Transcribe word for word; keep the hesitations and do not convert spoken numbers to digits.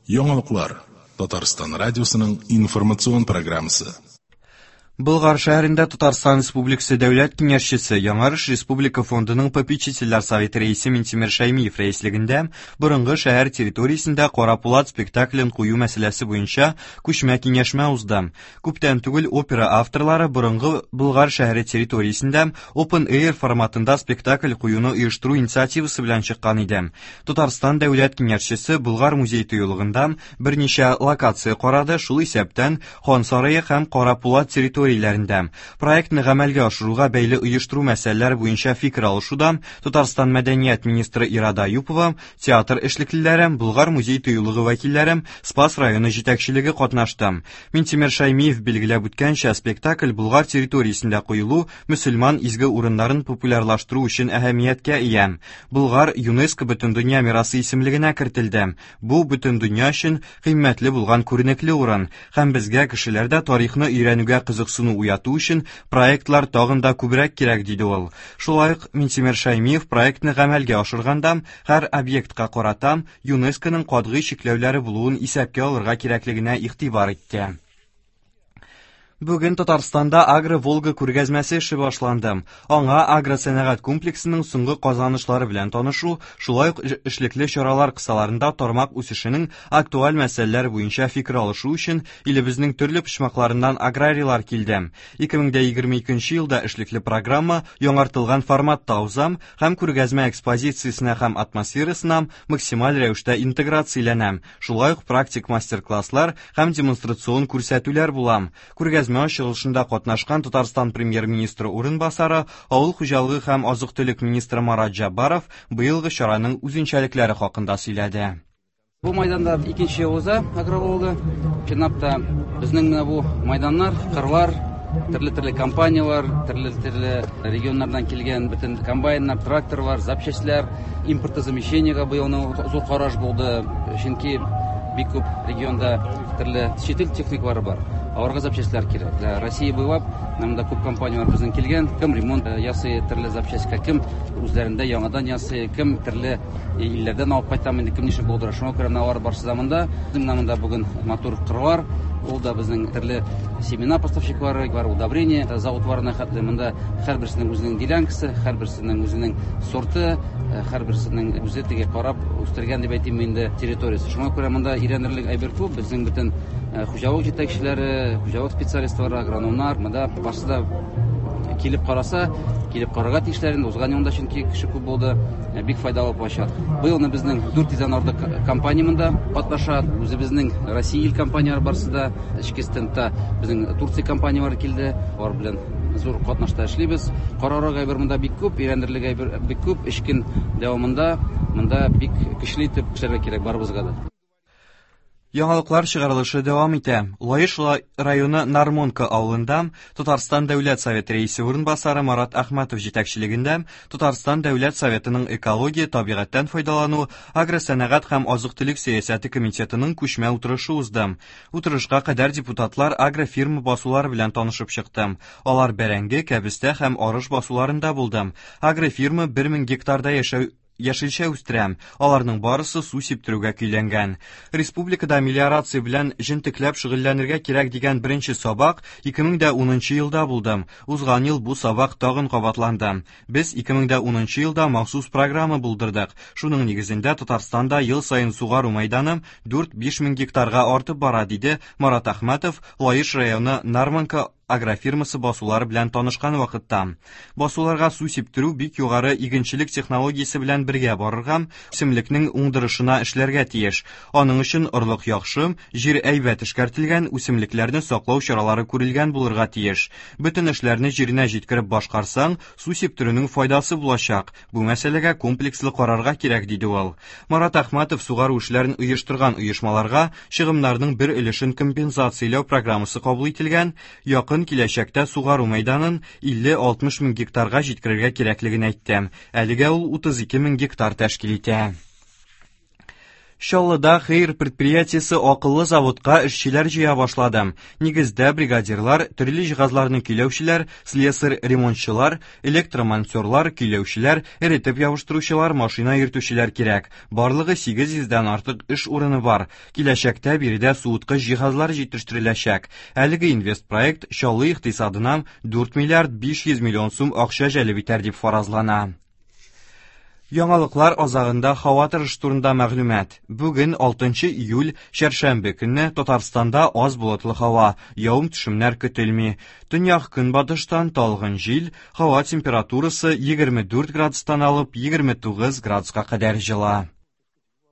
Яңалыклар Татарстан радиосының информацион программасы. Болгар шәһәрендә Татарстан Республикасы Дәүләт Киңәшчесе, Яңарыш Республика фондының попечительләр советы рәисе Минтимер Шәймиев рәислегендә борынгы шәһәр территориясендә Кара Пулат спектаклен кую мәсьәләсе буенча күчмә киңәшмә узды. Күптән түгел опера авторлары борынгы Болгар шәһәре территориясендә Open Air форматында спектакль куюны оештыру инициативасы белән чыккан иде. Татарстан Дәүләт Киңәшчесе Болгар музей тыюлыгында берничә локация карады, шул исәптән Хан сарае һәм Кара Пулат территориясендә. Проектны гамәлгә ашыруга бәйле оештыру мәсьәләләре буенча фикер алышуда Татарстан мәдәният министры Ирада Аюпова, театр эшлеклеләре, Болгар музей тыюлыгы вәкилләре, Спас районы җитәкчелеге катнашты. Минтимер Шәймиев билгеләп үткәнчә, спектакль Болгар территориясендә куелу мөселман изге урыннарын популярлаштыру өчен әһәмияткә ия. Болгар ЮНЕСКО Бөтендөнья мирасы исемлегенә кертелде. Бу бөтен дөнья өчен кыйммәтле булган күренекле урын һәм безгә кешеләрдә тарихны өйрәнүгә кызыксыну уяту өчен проектлар тагын да күбрәк кирәк, диде ул. Шулай ук Минтимер Шәймиев проектны гамәлгә ашырганда һәр объектка карата ЮНЕСКОның катгый чикләүләре булуын исәпкә алырга кирәклегенә игътибар итте. Бүген Татарстанда Агро-Волга күргәзмәсе эше башланды. Аңа агросәнәгать комплексының соңгы казанышлары белән танышу, шулай ук эшлекле чаралар кысаларында тармак үсешенең актуаль мәсьәләләре буенча фикер алышу өчен илебезнең төрле почмакларыннан аграрийлар килде. ике мең егерме икенче елда эшлекле программа яңартылган форматта уза һәм күргәзмә экспозициясенә һәм атмосферасына максималь рәвештә интеграцияләнә. Шулай ук практик мастер-класслар һәм демонстрацион күрсәтүләр була. Күргәзмә ачылышында катнашкан Татарстан премьер-министры урынбасары, авыл хуҗалыгы һәм азык-төлек министры Марат Җаббаров быелгы чараның үзенчәлекләре хакында сөйләде. Бу майданда икенче ел уза Агро-Волга. Чынлап та безнең менә бу майданнар, кырлар, төрле-төрле компанияләр, төрле-төрле регионнардан килгән бөтен комбайннар, тракторлар, запчастьләр, импортозамещениегә быелның зур караш булды, чөнки бик күп регионда төрле чит ил техникалары бар. Аларга запчастьләр кирәк. Россия буйлап монда күп компанияләр безнең килгән, кем ремонт ясый төрле запчастька, кем үзләрендә яңадан ясый, кем төрле илләрдән алып кайта, инде кем ничек булдыра. Шуңа күрә менә алар барысы да монда. Менә монда бүген матур кырлар, ул да безнең төрле семена поставщиклары бар, удобрение заводларына хәтле монда һәрберсенең үзенең делянкасы, һәрберсенең үзенең сорты, һәрберсенең үзе теге карап үстергән дип әйтим инде территориясе. Шуңа күрә монда өйрәнерлек әйбер күп. Безнең бөтен хуҗалык җитәкчеләре, хуҗалык специалистлары, агрономнар монда барысы да килеп караса, килеп карарга тиешләр инде. Узган елда чөнки кеше күп булды, бик файдалы площадка. Быелны безнең дүрт йөздән артык компания монда катнаша. Үзебезнең Россия ил компанияләре барысы да, эчке стендта безнең Турция компанияләре килде. Алар белән зур катнашта эшлибез. Карарга әйбер монда бик күп, өйрәнерлек әйбер бик күп. Өч көн дәвамында монда бик көчле итеп эшләргә кирәк барыбызга да. Яңалыклар чыгарылышы дәвам итә. Лаеш районы Нармонка авылында Татарстан Дәүләт Советы рәисе урынбасары Марат Әхмәтов җитәкчелегендә Татарстан Дәүләт Советының экология, табигатьтән файдалану, агросәнәгать һәм азык-төлек сәясәте комитетының күчмә утырышы узды. Утырышка кадәр депутатлар агрофирма басулары белән танышып чыкты. Алар бәрәңге, кәбестә һәм арыш басуларында булды. Агрофирма бер мең гектарда яшәү яшелчә үстерәм. Аларның барысы су сиптерүгә көйләнгән. Республикада мелиорация белән җентекләп шөгыльләнергә кирәк дигән беренче сабак ике мең дә унынчы елда булды. Узган ел бу сабак тагын кабатланды. Без ике мең дә унынчы елда махсус программа булдырдык. Шуның нигезендә Татарстанда ел саен сугару мәйданы дүрт-биш мең гектарга артып бара, диде Марат Әхмәтов Лаеш районы Нармонка агрофирмасы басулары белән танышкан вакытта. Басуларга су сиптерү бик югары игенчелек технологиясе белән бергә барырга, үсемлекнең уңдырышына эшләргә тиеш. Аның өчен орлык яхшы, җир әйбәт эшкәртелгән, үсемлекләрне саклау чаралары күрелгән булырга тиеш. Бөтен эшләрне җиренә җиткереп башкарсаң, су сиптерүнең файдасы булачак. Бу мәсьәләгә комплекслы карарга кирәк, диде ул. Марат Әхмәтов сугару эшләрен оештырган оешмаларга чыгымнарның бер өлешен компенсацияләү программасы кабул ителгән, якын киләчәктә сугару мәйданын илле-алтмыш мең гектарга җиткерергә кирәклеген әйтте. Әлегә ул утыз ике мең гектар тәшкил итә. Чаллыда Хейер предприятиесе акыллы заводка эшчеләр җыя башлады. Нигездә бригадирлар, төрле җиһазларны көйләүчеләр, слесарь-ремонтчылар, электромонтерлар, көйләүчеләр, эретеп ябыштыручылар, машина йөртүчеләр кирәк. Барлыгы сигез йөздән артык эш урыны бар. Киләчәктә биредә суыткыч җиһазлар җитештереләчәк. Әлеге инвестпроект Чаллы икътисадына дүрт миллиард биш йөз миллион сум акча җәлеп итәр дип фаразлана. Яңалыклар азагында һава торышы турында мәгълүмат. Бүген алтынчы июль, чәршәмбе көнне Татарстанда аз болытлы һава, явым-төшемнәр көтелми. Төньяк көнбатыштан талгын җил, һава температурасы егерме дүрт градустан алып егерме тугыз градуска кадәр җыла.